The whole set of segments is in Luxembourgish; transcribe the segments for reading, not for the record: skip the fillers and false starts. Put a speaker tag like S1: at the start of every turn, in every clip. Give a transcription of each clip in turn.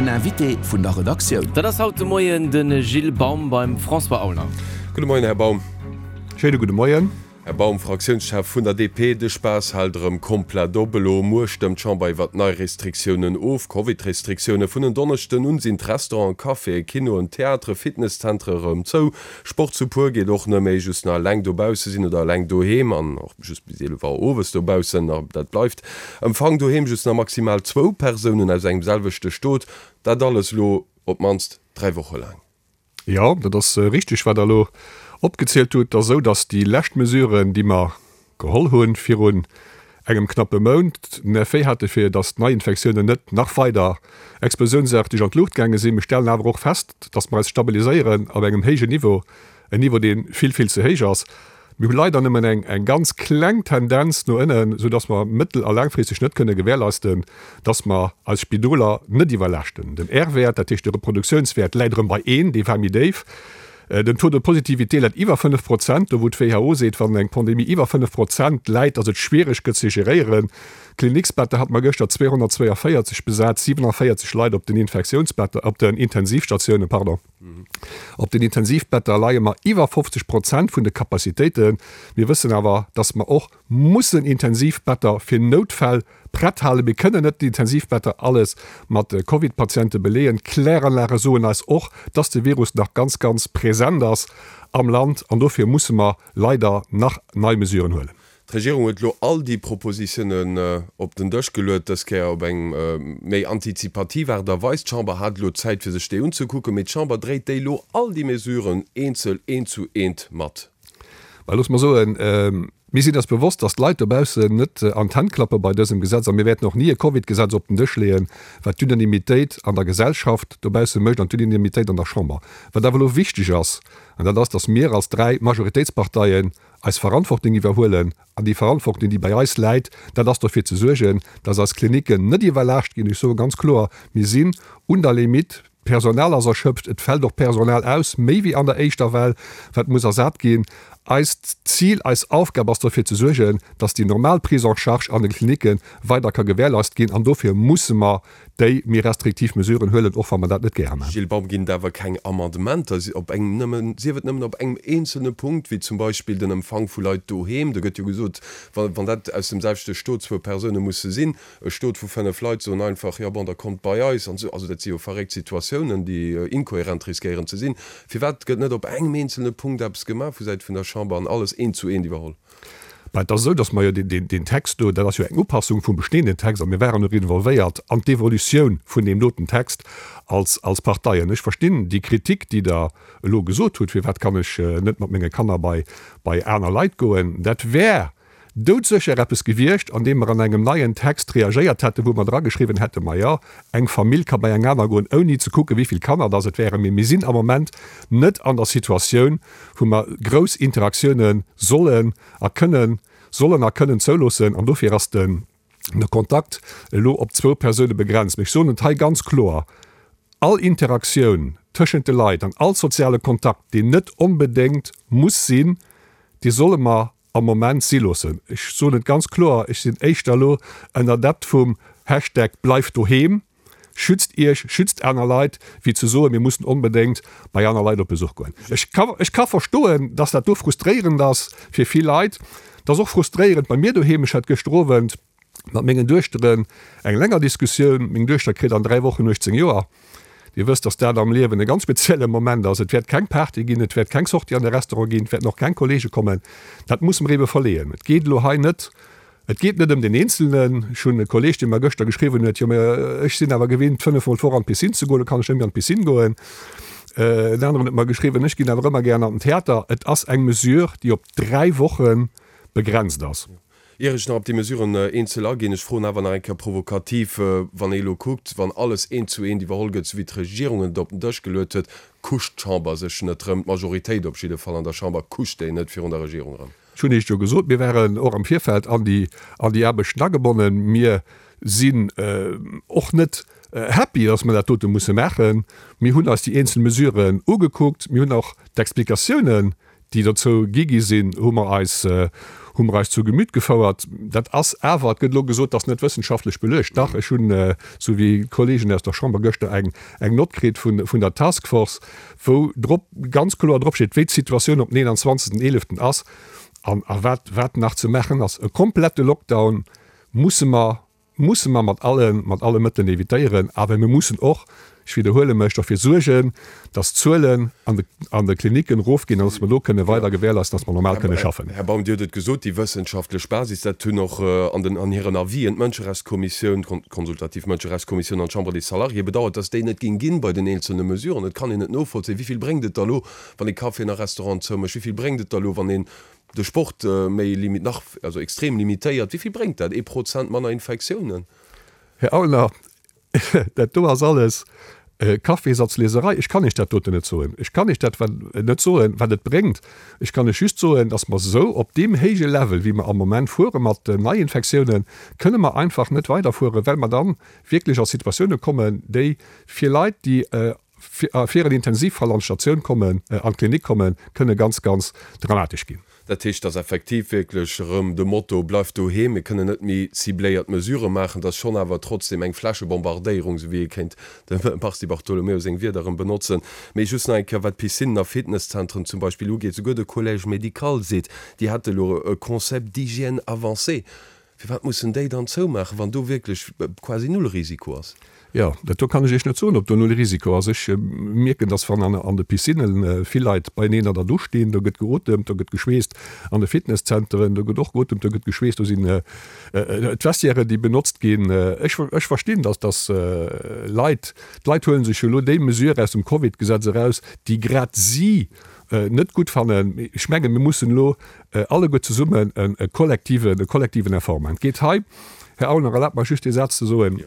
S1: Den Invité vun der Redaktioun.
S2: Dat ass haut de Moien de Gilles Baum beim François Aulner.
S3: Gudde Moien, Här Baum.
S4: Schéine gudde Moien.
S3: Här Baum, Fraktiounschef vun der DP, de Spaass hält erëm komplett op. Elo muer stëmmt d'Chamber iwwert nei Restriktiounen of, Covid-Restriktioune. Vun en Donneschden un sinn d'Restauranten, Caféen, Kinoen, Theatere, Fitnesszentere erëm zou. Sport zu puer geet och net méi, just nach eleng dobausse sinn oder eleng doheem an och just bis 11 Auer owes dobaussen. Dat bleift. Empfang doheem just nach maximal zwou Persounen aus engem selwechte Stot. Dat alles elo op d'mannst 3 Woche laang.
S4: Jo, dat ass richteg, wat Der elo opgezielt hutt. Et ass esou, datt déi lescht Mesuren, déi mer geholl hunn virun engem knappe Mount, den Effet hate fir datt d'Neiinfektiounen net nach weider explosiounsaarteg an d'Luucht gaange sinn. Mir stellen awer och fest, datt mer eis stabiliséieren op engem héijen Niveau, en Niveau, dee vill, vill ze héich ass. Mir hu leider nëmmen eng eng ganz kleng Tendenz no ënnen, soudass mer mëttel a laangfristeg net kënne gewährleisten, dass mer eis Spidoler net iwwerlaaschten. Den R-Wäert, dat heescht de Reproduktionswäert, läit erëm bei een, dee war méi déif. Den Taux de positivité läit iwwer 5 Prozent, do wou d'WHO seet, wann eng Pandemie iwwer 5 Prozent läit, dass et schwiereg gëtt ze geréieren. D'Kliniksbetter hat mer gëschter 242 besat, 47 Leit op den Infektiounsbetter, op den Intensivstatiounen, pardon. Op den Intensivbetter leie mer iwwer 50 Prozent vun de Capacitéiten. Mir wëssen awer, dass mer och mussen Intensivbetter fir Noutfäll prett halen. Mir kënnen net d'Intensivbetter alles mat Covid-Patiente beleeën. D'Kläranlage soen eis och, dass de Virus nach ganz, ganz present ass am Land an dofir musse mer leider nach nei Mesuren huelen.
S3: D'Regierung huet elo all déi Propositiounen op den Dësch geluet, dës Kéier op eng méi antizipativ Aart a Weis. D'Chamber hat elo Zäit, fir sech déi unzekucken, mee d'Chamber dréit déi elo all déi Mesuren eenzel, eent zu eent mat.
S4: Mä looss mer soen, mir sinn eis bewosst, datt d'Leit dobaussen net an d'Hänn klappe bei dësem Gesetz a mir wäerten och ni e Covid-Gesetz op den Dësch leeën, wat d'Unanimitéit an der Gesellschaft dobausse mécht an d'Unanimitéit an der Chamber. Wat awer elo wichteg ass, an dat ass, datt mir als dräi Majoritéitsparteien eis Verantwortung iwwerhuelen, an déi Verantwortung, déi bei eis läit, dat ass dofir ze suergen, dass eis Klinicken net iwwerlaascht ginn. Ech soe ganz kloer, mir sinn un der Limite, d'Personal ass erschöpft, et fält och Personal aus, méi wéi an der éischter Well, wat muss ersat ginn. Eist Zil, eis Aufgab ass dofir ze suergen, dass déi normal Prise en charge an de Klinicke weider ka gewährleist ginn, an dofir musse mer déi méi restriktiv Mesuren huelen, och wa mer dat net gäre maachen.
S3: Gilles Baum, Ginn et awer keng Amendementer, op engem nëmmen, sief et nëmmen op engem eenzelne Punkt, wéi zum Beispill den Empfang vu Leit doheem? Do gëtt jo gesot, wa wann dat aus dem selwechte Stot zwou Persoune musse sinn, e Stot vu 5 Leit soen einfach, jo bon, da kommt bei eis an esou. Also dat si jo verréckt Situatiounen, déi inkohärent riskéieren ze sinn. Firwat gëtt net op engem eenzelne Punkt eppes gemaach vu Säit vun der Chamber an alles eent zu eent iwwerholl?
S4: Mä et ass esou, datt mer jo deen Text do, dat ass jo eng Upassung vum bestehenden Text, a mir waren och involvéiert an d'Evolutioun vun deem doten Text als, als Parteien. Ech verstinn déi Kritik, déi Der elo gesot hutt, Firwat kann ech net mat menge Kanner bei, bei aner Leit goen? Dat wär doudsécher eppes gewiescht, an deem mer an engem neien Text reagéiert hätten, wou mer drageschriwwen hätten, Ma jo, eng Famill ka bei eng aner goen, ouni ze kucken, wéi vill Kanner dass et wären. Mee mir sinn am Moment net an der Situatioun, wou mer grouss Interaktioune sollen a kënnen, sollen a kënnen zouloossen. An dofir ass de Kontakt elo op zwou Persoune begrenzt. Mee ech soen et hei ganz kloer, All Interaktioun tëschent de Leit an all soziale Kontakt, deen net onbedéngt muss sinn, dee solle mer am Moment si loossen. Ech soen et ganz kloer, ech sinn éischter elo en Adept vum Hashtag Bleifdoheem. Schützt Iech, schützt aner Leit, wéi ze soen, mir mussen onbedéngt bei aner Leit op Besuch goen. Ech ka, ech ka verstoen, dass dat do frustréierend ass fir vill Leit. Et ass och frustréierend bei mir doheem. Ech hat gëschter Owend mat mengen Duechteren eng länger Diskussioun. Meng Duechter kritt an 3 Wochen 18 Joer. Dir wësst, dass dat am Liewen e ganz spezielle Moment ass. Et wäert keng Party ginn, et wäert keng Sortie an de Restaurant ginn, et wäerten och keng Kollege kommen. Dat musse mer ebe verleeën. Et geet elo hei net Et geet net ëm den Eenzelnen. Ech hunn e Kolleeg, dee mer gëschter geschriwwen huet, jo mä ech sinn awer gewinnt, fënnefmol d'Woch an d'Piscine ze goen, lo kann ech net méi an d'Piscine goen. En aneren huet mer geschriwwen, ech ginn awer ëmmer gären an den Theater. Et ass eng Mesure, déi op 3 Woche begrenzt ass.
S3: Ier ech nach op déi Mesuren eenzel aginn, ech froen awer nach eng Kéier provokativ, Wann ee elo kuckt, wann alles eent zu eent iwwerholl gëtt, esou wéi d'Regierung et op den Dësch geluet huet, kuscht d'Chamber sech net erëm, d'Majoritéit op jidde Fall an der Chamber kuscht déi net virun der Regierung erëm?
S4: Ech hunn Iech jo gesot, mir waren och am Virfeld an déi, an déi Aarbechten agebonnen. Mir sinn och net happy, dass mer dat dote musse maachen. Mir hunn eis déi eenzel Mesuren ugekuckt. Mir hunn och d'Explikatiounen, déi dozou gi gi sinn, hu mer eis, hu mer eis zu Gemüt gefouert. Dat ass awer, et gëtt elo gesot, dat ass net wëssenschaftlech beluecht. Dach, ech hunn, esou wéi d'Kollegen aus der Chamber gëschter, eng eng Nott kritt vun vun der Task Force, wou drop ganz kloer drop steet, wéi d'Situatioun op den 21. 11. ass an a wat wat nach ze maachen ass. E komplette Lockdown musse mer musse mer mat alle, mat alle Mëttelen évitéieren, awer mir mussen och, ech widderhuele mech, derfir suergen, dass d'Zuelen an de, an de Klinicken erofginn an dass mer do kënne weider gewährleisten, dass mer normal kënne schaffen.
S3: Här Baum, Dir hutt et gesot, déi wëssenschaftlech Basis, dat hunn och an den, an hiren Avisen d'Mënscherechtskommissioun, d'konsultativ Mënscherechtskommissioun an d'Chambre des Salariés bedauert, dass déi net géing ginn bei den eenzelne Mesuren. Et kann een net novollzéien, Wéi vill bréngt et da lo, wann ee Caféen a Restauranten zoumécht? Wéi vill bréngt et da lo, wann een de Sport méi limi-, nach, also extrem limitéiert, wéi vill bréngt dat? Ee Prozent manner Infektiounen?
S4: Här Aulner, dat do ass alles Kaffeesatzlieserei. Ech kann Iech dat doten net soen. Ech kann Iech dat net soen, wat et bréngt. Ech kann Iech just soen, datt mer esou op deem héije Level, wéi mer am Moment fuere mat den Neiinfektiounen, kënne mer einfach net weiderfueren, well mer dann wierklech a Situatioune kommen, déi fir Leit, déi fir en Intensivfall an d'Statioun kommen, an d'Klinik kommen, kënne ganz, ganz dramatesch ginn.
S3: Dat heescht, dass effektiv wierklech erëm de Motto Bleift doheem, mir kënnen net méi cibléiert Mesurë maachen, dass schonn awer trotzdem eng Flächebombardéierung, esou wéi ee kéint dem Mars Di Bartolomeo seng Wierder erëm benotzen. Mee just nach eng Kéier, wat d'Piscinnen a Fitnesszentren zum Beispill ugeet, Souguer de Collège médical seet, déi hätte elo e Concept d'hygiène avancé. Firwat mussen déi dann zoumaachen, wann do wierklech quasi null Risiko ass?
S4: Jo, dat do kann ech Iech net soen, ob do null Risiko ass. Ech mierken, dass wann an de Piscinnen vill Leit beieneen an der Dusch stinn, do gëtt geotemt, do gëtt geschweesst. An de Fitnesszenteren, do gëtt och geotemt, do gëtt geschweesst. Do sinn d'Vestiairen, déi benotzt ginn. Ech, ech verstinn, dass, dass Leit, d'Leit huele sech jo elo déi Mesure aus dem Covid-Gesetz eraus, déi grad si net gutt fannen. Ech mengen, mir mussen elo alleguer zesummen e kollektiven, e kollektiven Effort maachen. Et geet hei, Här Aulner, erlaabt mer just dee Saz ze soen,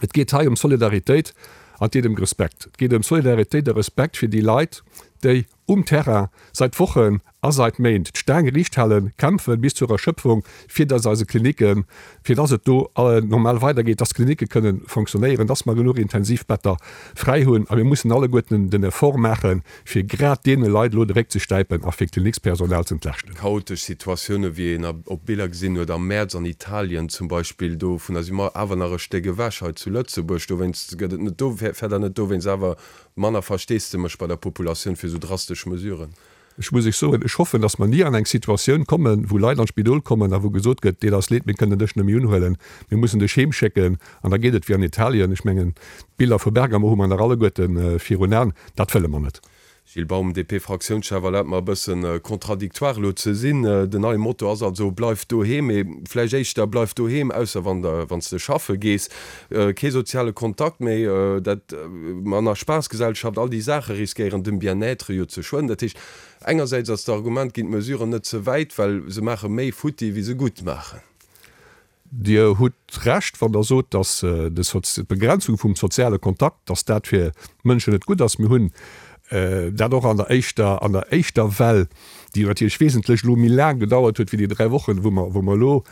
S4: et geet hei ëm Solidaritéit an et geet ëm Respekt. Et geet ëm Solidaritéit a Respekt fir déi Leit, déi um Terrain seit Wochen a seit Méint d'Staang riicht halen, kämpfen bis zur Erschöpfung, fir dass eise Klinicken, fir dass et do normal weidergeet, dass d'Klinicke kënnen fonctionnéieren, dass mer genuch Intensivbetter fräi hunn. A mir mussen alleguerten den Effort maachen, fir grad deene Leit elo de Réck ze stäipen a fir d'Klinikspersonal z'entlaaschten.
S3: Chaotesch Situatioune wéi een op Biller gesinn huet am Mäerz an Italien zum Beispill, dovunner si mer awer nach e Stéck ewech hei zu Lëtzebuerg. Dowéinst gëtt et net do, fäert Der net dowéinst awer manner Versteesdemech bei der Populatioun fir esou drastesch Mesuren?
S4: Ech muss Iech soen, ech hoffen, datt mer ni an eng Situatioun kommen, wou Leit an d'Spidol kommen a wou gesot gëtt, Deet eis leed, mir kënnen dech net méi unhuelen, mir mussen dech heemschécken. An da geet et wéi an Italien. Ech mengen, d'Biller vu Bergamo hu mer nach alleguerte virun Aen. Dat wëlle mer net.
S3: Gilles Baum, DP-Fraktiounschef, Erlaabt mer e bëssen contradictoire elo ze sinn. Den neie Motto ass also, Bleif doheem, mee vläicht éischter Bleif doheem, ausser wann s de schaffe gees. Kee soziale Kontakt méi, dat manner Spaassgesellschaft, all déi Saache riskéieren dem Bien-être jo ze schueden. Dat heescht, engersäits ass d'Argument, ginn d'Mesuren net ze wäit, well se maache méi futti wéi se gutt maachen.
S4: Dir hutt Recht, wann Der sot, datt d'Begrenzung vum soziale Kontakt, datt dat fir d'Mënschen net gutt ass. Mir hunn dat och an der éischter, an der éischter Well, déi natierlech wesentlech elo méi laang gedauert huet wéi déi 3 Wochen, wou mer, wou mer elo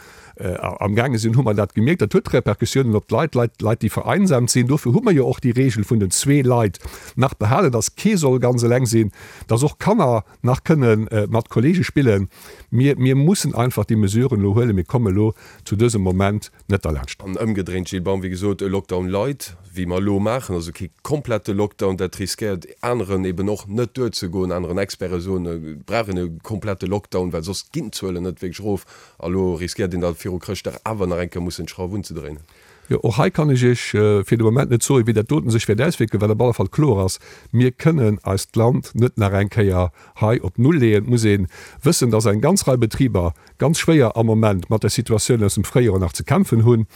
S4: amgaange sinn, hu mer dat gemierkt. Dat huet Repercussiounen op d'Leit, Leit, Leit, déi vereinsamt sinn. Dofir hu mer jo och déi Regel vun den zwee Leit nach behalen, datt kee soll ganz eleng sinn, datt och Kanner nach kënne mat Kollege spillen. Mir, mir mussen einfach déi Mesuren elo huelen. Mir komme elo zu dësem Moment net derlaanscht.
S3: An ëmgedréint, Gilles Baum, wéi gesot, e Lockdown light, wéi mer elo maachen, also kee komplette Lockdown, dat riskéiert aneren eben och net duerzegoen. Aneren Experte soen, et brauch een e komplette Lockdown, well soss ginn d'Zuelen net wierklech erof. A lo riskéiert een da viru Chrëschtdag awer nach eng Kéier mussen d'Schrauf unzedréinen.
S4: Jo, och hei kann ech Iech fir de Moment net soen, wéi dat doten sech wäert auswierken. Wat op alle Fall kloer ass, Mir kënnen eist Land net nach eng Kéier hei op Null leeën. Et muss ee wëssen, dass eng ganz Rei Betriber ganz schwéier am Moment mat der Situatioun aus dem Fréijoer nach ze kämpfen hunn.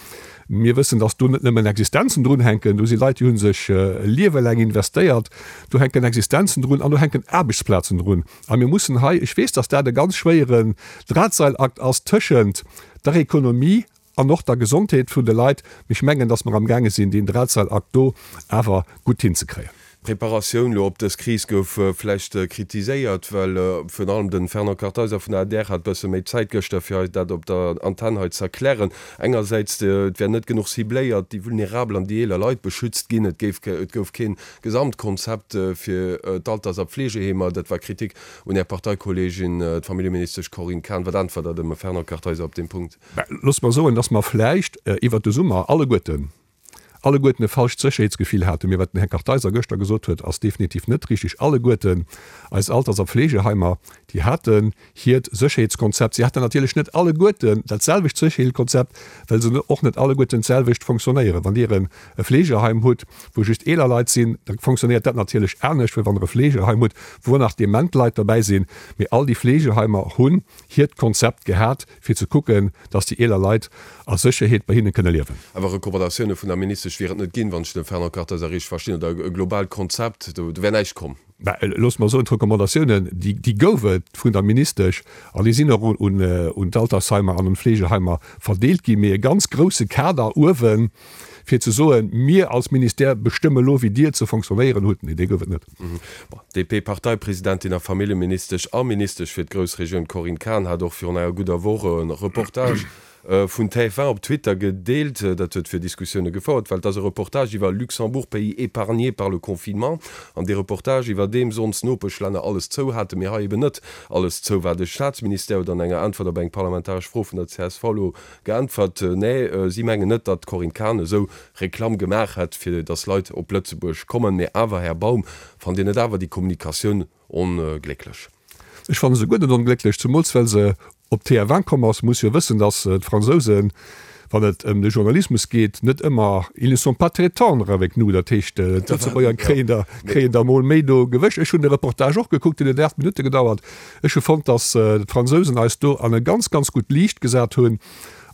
S4: Mir wëssen, dass do net nëmmen Existenzen drunhänken. Do si Leit, déi hu sech e Liewe laang investéiert. Do hänken Existenzen drun an do hänken Aarbechtsplazen drun. A mir mussen hei, ech weess, dass dat e ganz schwéieren Drahtseilakt ass tëschent der Ekonomie an och der Gesondheet vun de Leit, mee ech mengen, dass mer amgaange sinn, deen Drahtseilakt do awer gutt hinzekréien.
S3: D'Preparatioun elo op dës Kris gouf vläicht kritiséiert, well virun allem de Fernand Kartheiser vun der adr hat bësse méi Zäit gëschter, fir eis dat op der Antenn hei z'erklären. Engersäits, et wär net genuch cibléiert, déi vulnerabel an déi eeler Leit beschützt ginn, et géif, et gouf kee Gesamtkonzept fir d'Alters a Pflegeheemer. Dat war Kritik un Är Parteikolleegin, d'Familljeministesch Corinne Cahen. Wat äntwert Der dem Fernand Kartheiser op deem Punkt?
S4: Loosst mer soen, dass mer vläicht iwwert de Summer alleguerten alleguerten e falscht Sécherheetsgefill haten. Mee wat den Här Kartheiser gëschter gesot huet, ass definitiv net richtig. Alleguerten eis Alters a Pflegeheimer, déi haten hiert Sécherheetskonzept. Si haten natierlech net alleguerten dat selwecht Sécherheelkonzept, well se och net alleguerten d'selwecht fonctionnéieren. Wann Dir e Fleegeheim hutt, wou just eeler Leit sinn, da fonctionnéiert dat natierlech anescht, wéi wann Der e Fleegeheim hutt, wou och nach dement Leit derbäi sinn. Mee all déi Fleegeheimer hunn hiert Konzept gehat, fir ze kucken, dass déi eeler Leit a Sécherheet bei hinne kënne liewen.
S3: Awer Recommandatioune vun der Ministesch wier et net ginn, wann ech de Fernand Kartheiser richteg verstinn, oder e globaalt Konzept, do wär näischt komm.
S4: Mä loosst mer soen, d'Recommandatiounen, déi gouf et vun der Ministesch an déi sinn och un d'Altersheimer an un d'Fleegeheimer verdeelt ginn. Mee e ganz grousse Kader uewen, fir ze soen, mir als Ministère bestëmme elo, wéi Dir ze fonctionnéieren hutt, nee, dee gouf et net.
S3: D'DP-Parteipresidentin a Familljeministesch a Ministesch fir d'Groussregioun Corinne Cahen hat och virun enger gudder Woch e Reportage vun TF1 op Twitter gedeelt. Dat huet fir Diskussioune gefouert, well et ass e Reportage iwwer Luxembourg, pays épargné par le confinement. An dee Reportage, iwwerdeem sonst Nopeschlänner alles zou haten, mee hei eben net alles zou war. De Staatsministère huet an enger Äntwert op eng parlamentaresch Fro vun der csv elo Geäntwert, Nee, si mengen net, datt d'Corinne Cahen esou Reklamm gemaach hätt, fir datt Leit op Lëtzebuerg kommen. Mee awer, Här Baum, fannt Dir net awer déi Kommunikatioun onglécklech?
S4: Ech fanne se guer net onglécklech, zemools well se op TF1 komm ass. Muss jo wëssen, datt d'Fransousen, wann et ëm de Journalismus geet, net ëmmer, ils ne sont pas très tendres avec nous. Dat heescht, d'Lëtzebuerger kréien der, kréien der mol méi do gewëscht. Ech hunn de Reportage och gekuckt, deen huet 8 Minutte gedauert. Ech hu fonnt, dass d'Fransousen eis do an e ganz, ganz gutt Liicht gesat hunn.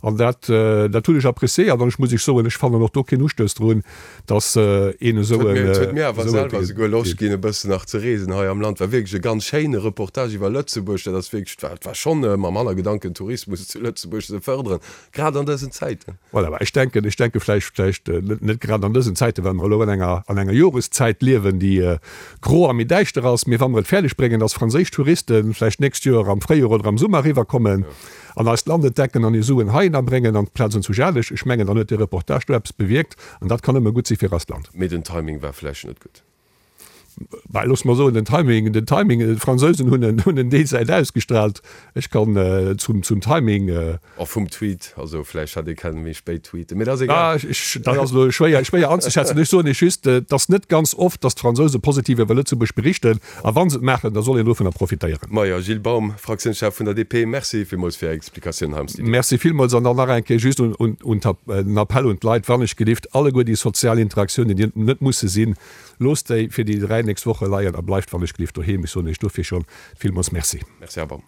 S4: An dat, dat hunn ech appréciéiert. An ech muss Iech soen, ech fannen och do keen Ustouss drun, dass een esou en.
S3: Et huet mir awer selwer esouguer Loscht ginn, e bëssen nach ze reesen hei am Land. War wierklech e ganz schéine Reportage iwwer Lëtzebuerg. Dat ass wierklech, et war schonn mam Hannergedanken, Tourismus zu Lëtzebuerg ze fërderen. Grad an dësen Zäiten.
S4: Voilà, mä ech denken, ech denke vläicht, vläicht net grad an dësen Zäiten, well mer elo an enger, an enger Joreszäit liewen, déi gro a méi däischter ass, mee wa mer et fäerdeg bréngen, dass franséisch Touriste vläicht d'nächst Joer am Fréijoer oder am Summer eriwwerkommen an eist Land entdecken an hir Suen heihinner bréngen amplaz an zu Jalech, ech mengen, dann huet dee Reportage do eppes bewierkt an dat kann nëmme gutt si fir eist Land.
S3: Mee den Timing war vläicht net gutt.
S4: Bah, looss mer soen, den Timing, den Timing, d'Fransousen hunn en, hunn en déi Säit ausgestrahlt. Ech kann zum, zum Timing.
S3: Och vum Tweet, also vläicht hätt ee kennen méi spéit tweeten, mee dat ass egal.
S4: Ah, ech, dat ass elo schwéier, schwéier anzeschätzen. Ech soen Iech just, et ass net ganz oft, datt d'Fransouse positiv iwwer Lëtzebuerg berichten, a wa se et maachen, da soll een dovunner profitéieren.
S3: Majo, Gilles Baum, Fraktiounschef vun der DP, Merci villmools fir Är Explikatioun hei am
S4: Studio. Merci villmools an dann nach eng Kéier just un, un, un den Appell un d'Leit, wann ech gelift, alleguer déi sozial Interaktiounen, déi net musse sinn, Loosst déi fir déi 3 nächst Woche leien a bleift wann ech gelift doheem. Ech soen iech dofir schon villmols Merci.
S3: Merci Här Baum.